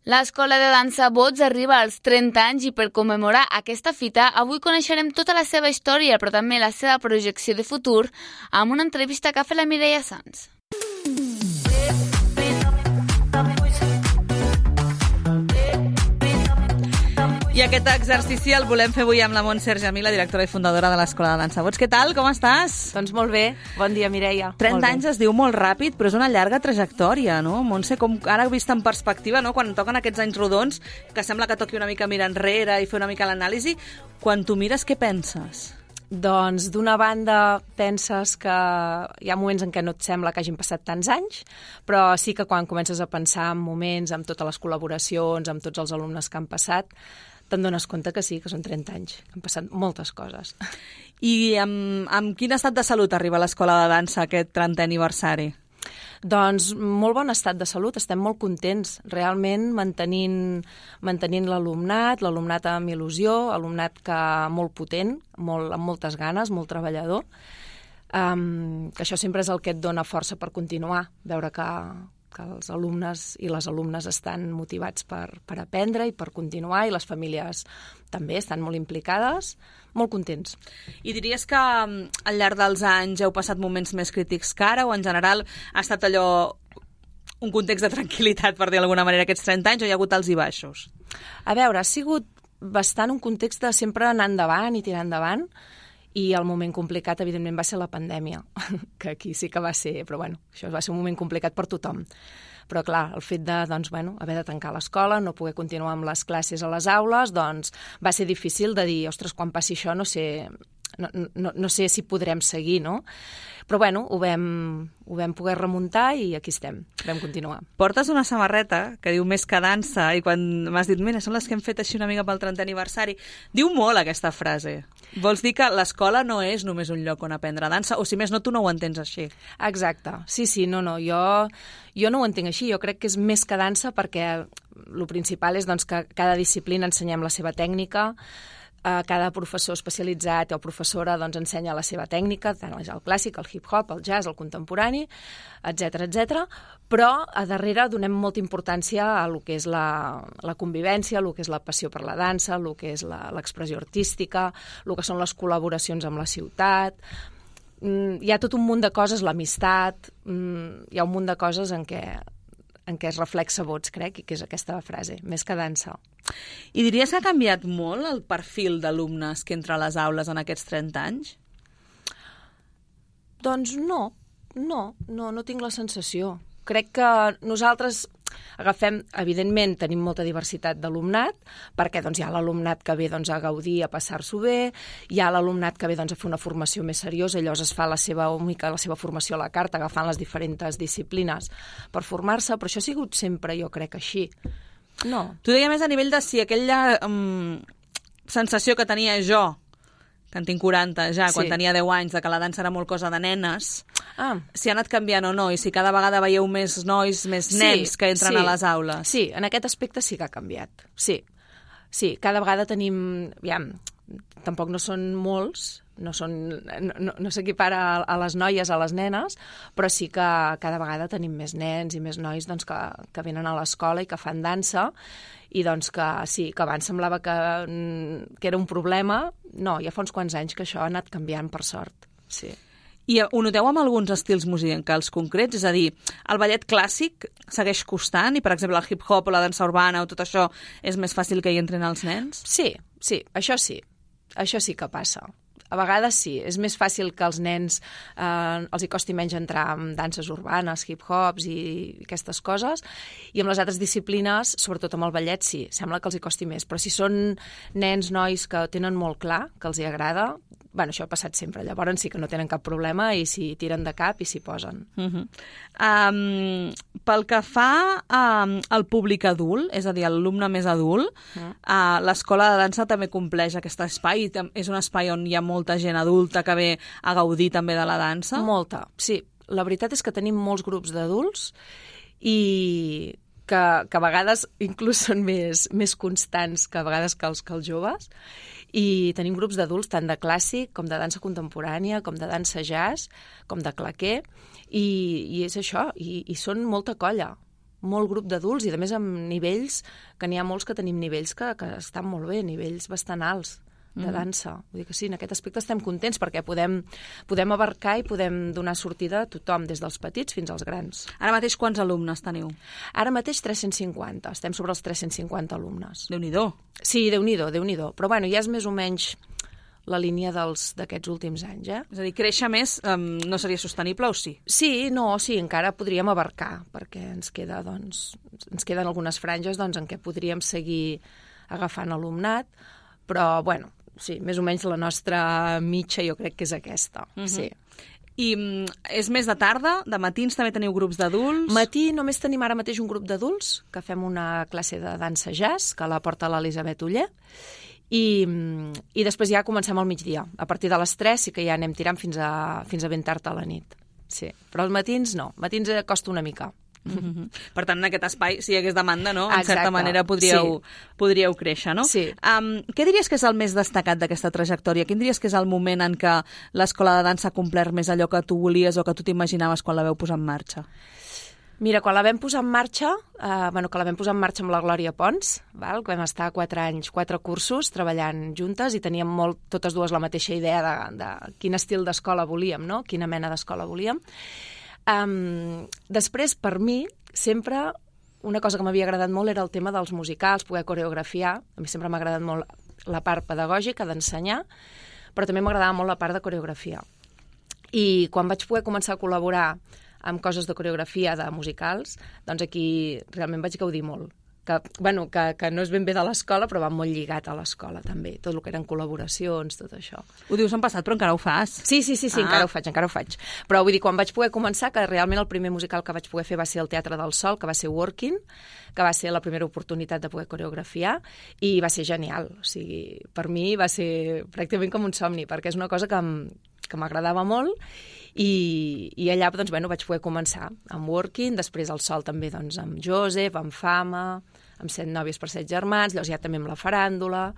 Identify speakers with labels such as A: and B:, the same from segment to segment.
A: L'escola de dansa Bots arriba als 30 anys i per commemorar aquesta fita avui coneixerem tota la seva història però també la seva projecció de futur amb una entrevista que ha fet la Mireia Sans.
B: I aquest exercici el volem fer avui amb la Montse Argemí, la directora i fundadora de l'Escola de Dansa Bots. Què tal? Com estàs?
C: Doncs molt bé. Bon dia, Mireia.
B: 30 anys es diu molt ràpid, però és una llarga trajectòria, no? Montse, com ara vist en perspectiva, no? Quan toquen aquests anys rodons, que sembla que toqui una mica mirar enrere i fer una mica l'anàlisi, quan tu mires, què penses?
C: Doncs, d'una banda, penses que hi ha moments en què no et sembla que hagin passat tants anys, però sí que quan comences a pensar en moments, amb totes les col·laboracions, amb tots els alumnes que han passat, te'n dones compte que sí, que són 30 anys, que han passat moltes coses.
B: I amb quin estat de salut arriba l'Escola de Dansa aquest 30è aniversari?
C: Doncs molt bon estat de salut, estem molt contents, realment mantenint l'alumnat amb il·lusió, alumnat molt potent, amb moltes ganes, molt treballador, que això sempre és el que et dona força per continuar, veure que els alumnes i les alumnes estan motivats per aprendre i per continuar, i les famílies també estan molt implicades, molt contents.
B: I diries que al llarg dels anys heu passat moments més crítics que ara, o en general ha estat allò un context de tranquil·litat, per dir d'alguna manera, aquests 30 anys, o hi ha hagut alts i baixos?
C: A veure, ha sigut bastant un context de sempre anar endavant i tirar endavant, i el moment complicat, evidentment, va ser la pandèmia, que aquí sí que va ser, però bueno, això va ser un moment complicat per tothom. Però clar, el fet de, haver de tancar l'escola, no poder continuar amb les classes a les aules, doncs va ser difícil de dir, ostres, quan passi això no sé si podrem seguir, no? Però bueno, ho vam poder remuntar i aquí estem, vam continuar.
B: Portes una samarreta que diu Més que dansa, i quan m'has dit, mira, són les que hem fet així una mica pel 30è aniversari, diu molt aquesta frase. Vols dir que l'escola no és només un lloc on aprendre dansa, o si més no, tu no ho entens així?
C: Exacte, sí, no, jo no ho entenc així, jo crec que és més que dansa perquè el principal és que cada disciplina ensenyem la seva tècnica, cada professor especialitzat o professora ensenya la seva tècnica, tant el clàssic, el hip-hop, el jazz, el contemporani, etc. Però a darrere donem molta importància a lo que és la convivència, a lo que és la passió per la dansa, a lo que és l'expressió artística, a lo que són les col·laboracions amb la ciutat. Hi ha tot un munt de coses, l'amistat, hi ha un munt de coses en què es reflexa Bots, crec, i que és aquesta frase, més que dansa.
B: I diries que ha canviat molt el perfil d'alumnes que entra a les aules en aquests 30 anys?
C: Doncs no tinc la sensació. Crec que nosaltres evidentment tenim molta diversitat d'alumnat, perquè hi ha l'alumnat que ve a gaudir, a passar-s'ho bé, hi ha l'alumnat que ve a fer una formació més seriosa, i llavors es fa la seva formació a la carta, agafant les diferents disciplines per formar-se, però això ha sigut sempre, jo crec, així. No.
B: Tu deia més a nivell de si aquella sensació que tenia jo, que en tinc 40 ja, quan tenia 10 anys, de que la dansa era molt cosa de nenes, si ha anat canviant o no, i si cada vegada veieu més nois, més nens que entren a les aules.
C: Sí, en aquest aspecte sí que ha canviat. Sí, cada vegada tenim... Tampoc no són molts, no s'equipara a les noies, a les nenes, però sí que cada vegada tenim més nens i més nois que venen a l'escola i que fan dansa, i que sí, que abans semblava que era un problema. No, ja fa uns quants anys que això ha anat canviant, per sort. Sí.
B: I ho noteu amb alguns estils musicals concrets? És a dir, el ballet clàssic segueix costant i, per exemple, el hip-hop o la dansa urbana o tot això és més fàcil que hi entrin els nens?
C: Sí, això sí. Això sí que passa. A vegades sí, és més fàcil que als nens els hi costi menys entrar en danses urbanes, hip-hops i aquestes coses, i amb les altres disciplines, sobretot amb el ballet, sí, sembla que els hi costi més. Però si són nens, nois que tenen molt clar, que els hi agrada, això ha passat sempre. Llavors sí que no tenen cap problema i s'hi tiren de cap i s'hi posen.
B: Pel que fa al públic adult, és a dir, l'alumne més adult, l'escola de dansa també compleix aquest espai. És un espai on hi ha molta gent adulta que ve a gaudir també de la dansa?
C: Molta, sí. La veritat és que tenim molts grups d'adults i que a vegades inclús són més constants que a vegades que els joves. I tenim grups d'adults tant de clàssic com de dansa contemporània, com de dansa jazz, com de claqué, i és això, i són molta colla. molt grup d'adults i, a més, amb nivells, que n'hi ha molts que tenim nivells que estan molt bé, nivells bastant alts de dansa. Vull dir que sí, en aquest aspecte estem contents perquè podem abarcar i podem donar sortida a tothom, des dels petits fins als grans.
B: Ara mateix quants alumnes teniu?
C: Ara mateix 350, estem sobre els 350 alumnes.
B: Déu-n'hi-do.
C: Sí, Déu-n'hi-do. Però bueno, ja és més o menys la línia d'aquests últims anys,
B: És a dir, créixer més no seria sostenible o sí?
C: Sí, encara podríem abarcar, perquè ens queden algunes franges en què podríem seguir agafant alumnat, però, bueno, sí, més o menys la nostra mitja jo crec que és aquesta, sí.
B: I és més de tarda? De matins també teniu grups d'adults?
C: Matí només tenim ara mateix un grup d'adults, que fem una classe de dansa jazz, que la porta l'Elisabet Oller, i després ja comencem al migdia. A partir de les 3 sí que ja anem tirant fins a ben tard a la nit. Sí. Però els matins no, matins costa una mica.
B: Per tant, en aquest espai, si hi hagués demanda, no? En certa manera podríeu créixer, no?
C: Sí.
B: Què diries que és el més destacat d'aquesta trajectòria? Quin diries que és el moment en què l'escola de dansa ha complert més allò que tu volies o que tu t'imaginaves quan la veu posar en marxa?
C: Mira, quan la vam posar en marxa, amb la Glòria Pons, que vam estar 4 anys, 4 cursos treballant juntes i teníem totes dues la mateixa idea de quin estil d'escola volíem, no? Quina mena d'escola volíem. Després, per mi, sempre una cosa que m'havia agradat molt era el tema dels musicals, poder coreografiar. A mi sempre m'ha agradat molt la part pedagògica, d'ensenyar, però també m'agradava molt la part de coreografia. I quan vaig poder començar a col·laborar amb coses de coreografia, de musicals, doncs aquí realment vaig gaudir molt. Que no és ben bé de l'escola, però va molt lligat a l'escola, també. Tot el que eren col·laboracions, tot això.
B: Ho dius en passat, però encara ho fas?
C: Sí, encara ho faig. Però vull dir, quan vaig poder començar, que realment el primer musical que vaig poder fer va ser el Teatre del Sol, que va ser Working, que va ser la primera oportunitat de poder coreografiar, i va ser genial. O sigui, per mi va ser pràcticament com un somni, perquè és una cosa que m'agradava molt, i allà doncs, vaig poder començar amb Working, després al Sol també amb Josep, amb Fama, amb 7 nòvies per 7 germans, llavors ja també amb la faràndula,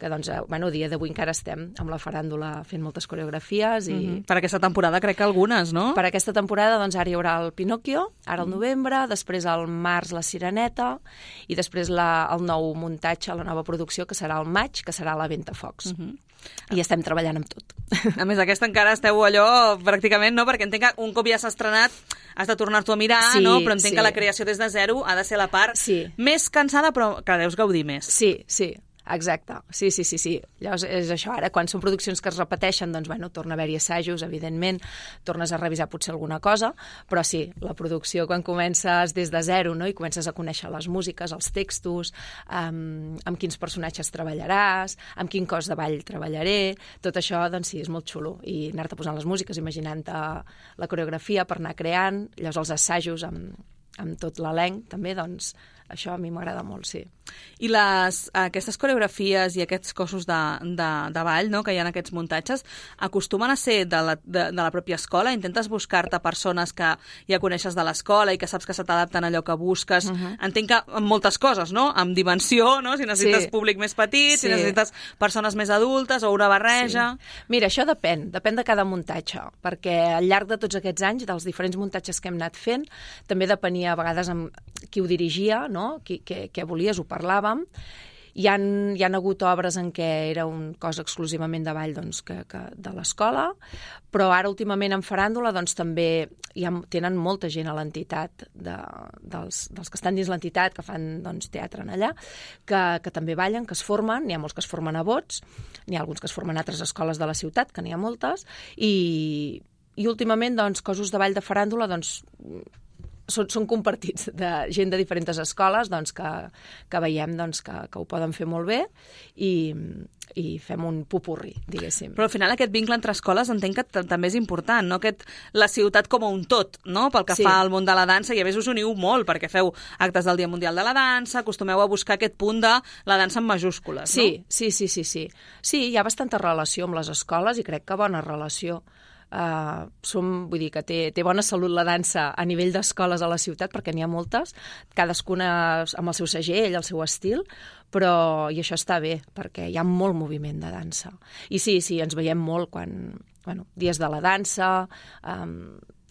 C: que a dia d'avui encara estem amb la faràndula fent moltes coreografies.
B: Per aquesta temporada crec que algunes, no?
C: Per aquesta temporada ara hi haurà el Pinocchio, ara al novembre, després al març la Sireneta, i després el nou muntatge, la nova producció, que serà al maig, que serà la Ventafocs. I estem treballant amb tot.
B: A més, aquesta encara esteu allò pràcticament, no? Perquè entenc que un cop ja s'ha estrenat has de tornar-t'ho a mirar, no? Però entenc que la creació des de zero ha de ser la part més cansada, però que deus gaudir més.
C: Sí. Exacte, sí. Llavors és això, ara quan són produccions que es repeteixen, doncs torna a haver-hi assajos, evidentment, tornes a revisar potser alguna cosa, però sí, la producció quan comences des de zero, no? I comences a conèixer les músiques, els textos, amb quins personatges treballaràs, amb quin cos de ball treballaré, tot això, doncs sí, és molt xulo, i anar-te posant les músiques, imaginant-te la coreografia per anar creant, llavors els assajos amb tot l'elenc, també, doncs això a mi m'agrada molt, sí.
B: I aquestes coreografies i aquests cossos de ball, no?, que hi ha en aquests muntatges, acostumen a ser de la pròpia escola? Intentes buscar-te persones que ja coneixes de l'escola i que saps que se t'adapten a allò que busques? Entenc que amb moltes coses, no?, amb dimensió, no?, si necessites públic més petit, si necessites persones més adultes o una barreja...
C: Mira, això depèn de cada muntatge, perquè al llarg de tots aquests anys, dels diferents muntatges que hem anat fent, també depenia a vegades amb qui ho dirigia, no?, què volies, ho parlàvem. Hi han hagut obres en què era un cos exclusivament de ball de l'escola, però ara últimament en faràndula també tenen molta gent a l'entitat, dels que estan dins l'entitat, que fan teatre en allà, que també ballen, que es formen, n'hi ha molts que es formen a Bots, n'hi ha alguns que es formen a altres escoles de la ciutat, que n'hi ha moltes, i últimament cossos de ball de faràndula són compartits de gent de diferents escoles que veiem que ho poden fer molt bé i fem un popurri, diguéssim.
B: Però al final aquest vincle entre escoles entenc que també és important, no? La ciutat com a un tot, no?, pel que fa al món de la dansa, i a més us uniu molt perquè feu actes del Dia Mundial de la Dansa, acostumeu a buscar aquest punt de la dansa en majúscules, no?
C: Sí. Sí, hi ha bastanta relació amb les escoles i crec que bona relació. Vull dir que té bona salut la dansa a nivell d'escoles a la ciutat, perquè n'hi ha moltes, cadascuna amb el seu segell, el seu estil, i això està bé, perquè hi ha molt moviment de dansa. I sí, ens veiem molt quan, dies de la dansa,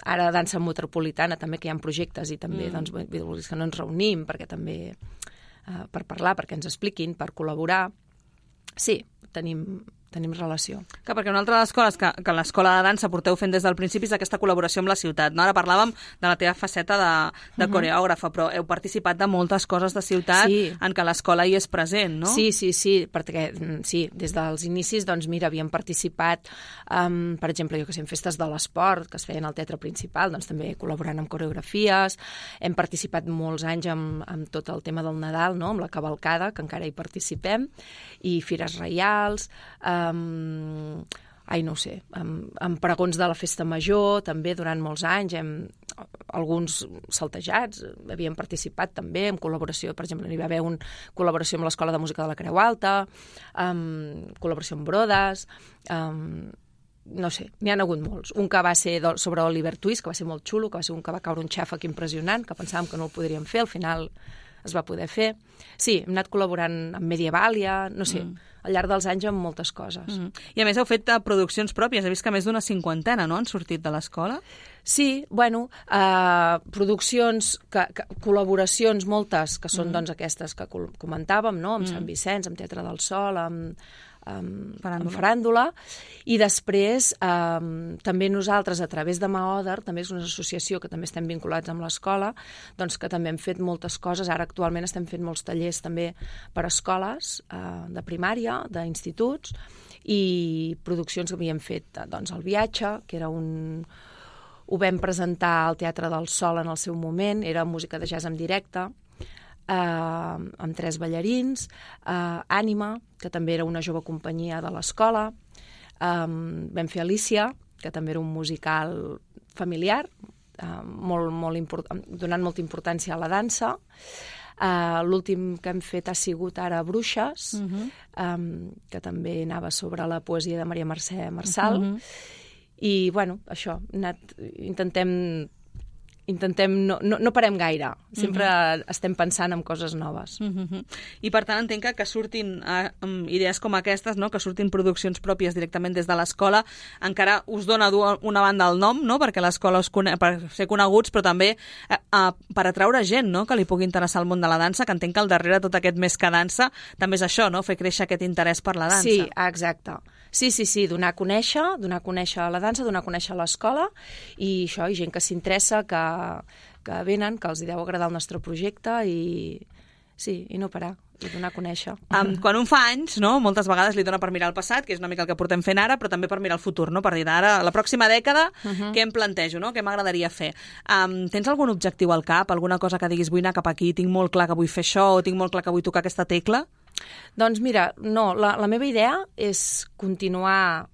C: Ara dansa metropolitana també, que hi ha projectes i també doncs, que no ens reunim perquè també per parlar, perquè ens expliquin, per col·laborar. Sí, tenim relació.
B: Que perquè una altra de les coses que l'escola de dansa porteu fent des del principi és aquesta col·laboració amb la ciutat. No? Ara parlàvem de la teva faceta de coreògrafa, però heu participat de moltes coses de ciutat en què l'escola hi és present, no?
C: Sí, perquè des dels inicis, doncs mira, havíem participat, per exemple, en festes de l'esport que es feien al Teatre Principal, doncs també col·laborant amb coreografies, hem participat molts anys amb tot el tema del Nadal, no? Amb la cavalcada, que encara hi participem, i fires reials, no ho sé, amb pregons de la festa major, també durant molts anys, alguns saltejats, havíem participat també en col·laboració, per exemple, hi va haver una col·laboració amb l'Escola de Música de la Creu Alta, col·laboració amb Brodes, no sé, n'hi ha hagut molts. Un que va ser sobre Oliver Twist, que va ser molt xulo, que va ser un que va caure un xàfec impressionant, que pensàvem que no el podríem fer, al final es va poder fer. Sí, hem anat col·laborant amb Medievàlia, no sé, al llarg dels anys amb moltes coses.
B: I a més heu fet produccions pròpies, he vist que més d'una 50, no?, han sortit de l'escola?
C: Sí, bueno, produccions, col·laboracions moltes, que són doncs aquestes que comentàvem, no?, amb Sant Vicenç, amb Teatre del Sol, amb Faràndula, i després també nosaltres, a través de Maoder, també és una associació que també estem vinculats amb l'escola, doncs que també hem fet moltes coses. Ara actualment estem fent molts tallers també per a escoles de primària, d'instituts, i produccions que havíem fet, doncs El viatge, que era ho vam presentar al Teatre del Sol en el seu moment, era música de jazz en directe, amb 3 ballarins, Ànima, que també era una jove companyia de l'escola, vam fer Alicia, que també era un musical familiar, donant molta importància a la dansa. L'últim que hem fet ha sigut ara Bruixes, que també anava sobre la poesia de Maria Mercè Marçal, i bueno, això, intentem, no parem gaire, sempre estem pensant en coses noves.
B: I per tant entenc que surtin idees com aquestes, no? Que surtin produccions pròpies directament des de l'escola, encara us dona una banda el nom, no? Perquè l'escola per ser coneguts, però també per atraure gent, no? Que li pugui interessar el món de la dansa, que entenc que al darrere tot aquest Més que dansa també és això, no? Fer créixer aquest interès per la dansa.
C: Sí, exacte. Sí, donar a conèixer la dansa, donar a conèixer l'escola, i això, i gent que s'interessa, que venen, que els deu agradar el nostre projecte, i no parar, i donar a conèixer.
B: Quan un fa anys, no, moltes vegades li dona per mirar el passat, que és una mica el que portem fent ara, però també per mirar el futur, no? Per dir, ara, la pròxima dècada, què em plantejo, no? Què m'agradaria fer? Tens algun objectiu al cap, alguna cosa que diguis, vull anar cap aquí, tinc molt clar que vull fer això, o tinc molt clar que vull tocar aquesta tecla?
C: Doncs mira, no, la meva idea és continuar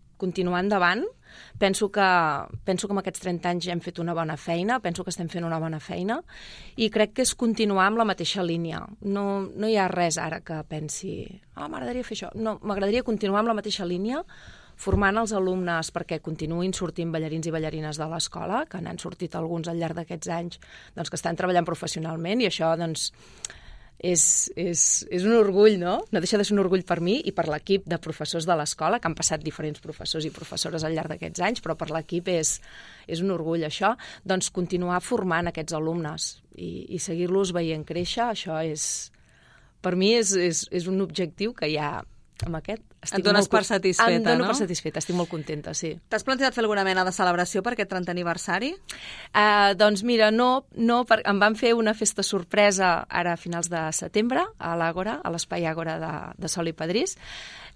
C: endavant. Penso que amb aquests 30 anys hem fet una bona feina, penso que estem fent una bona feina, i crec que és continuar amb la mateixa línia. No hi ha res ara que pensi, m'agradaria fer això. No, m'agradaria continuar amb la mateixa línia, formant els alumnes perquè continuïn sortint ballarins i ballarines de l'escola, que n'han sortit alguns al llarg d'aquests anys, doncs, que estan treballant professionalment, i això, doncs, és un orgull, no? No deixa de ser un orgull per mi i per l'equip de professors de l'escola, que han passat diferents professors i professores al llarg d'aquests anys, però per l'equip és un orgull, això. Doncs continuar formant aquests alumnes i seguir-los veient créixer, això per mi és un objectiu que ja amb aquest
B: et dones per satisfeta, no?
C: Em dono per satisfeta, estic molt contenta, sí.
B: T'has plantejat fer alguna mena de celebració per aquest 30è aniversari?
C: Doncs mira, no, em van fer una festa sorpresa ara a finals de setembre a l'Àgora, a l'Espai Àgora de Sol i Padrís,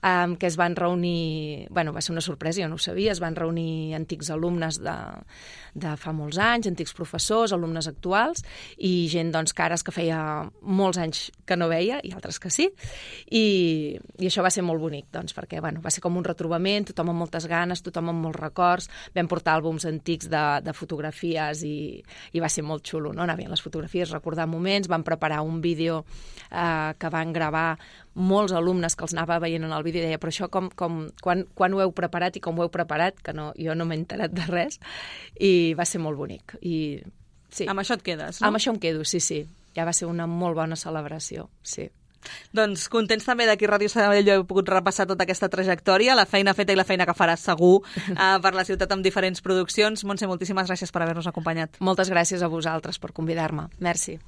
C: que es van reunir, bueno, va ser una sorpresa, jo no ho sabia, es van reunir antics alumnes de fa molts anys, antics professors, alumnes actuals, i gent, doncs, cares que feia molts anys que no veia, i altres que sí, i això va ser molt bonic, doncs, perquè, bueno, va ser com un retrobament, tothom amb moltes ganes, tothom amb molts records, vam portar àlbums antics de fotografies i va ser molt xulo, no? Anar veient les fotografies, recordar moments, vam preparar un vídeo que van gravar molts alumnes que els anava veient en el vídeo i deia, però això quan ho heu preparat i com ho heu preparat, que jo no m'he enterat de res, i va ser molt bonic. Sí.
B: Amb això et quedes, no?
C: Amb això em quedo, sí. Ja va ser una molt bona celebració, sí.
B: Doncs contents també d'aquí a Ràdio Sabadell he pogut repassar tota aquesta trajectòria, la feina feta i la feina que faràs segur per la ciutat amb diferents produccions. Montse, moltíssimes gràcies per haver-nos acompanyat.
C: Moltes gràcies a vosaltres per convidar-me. Merci.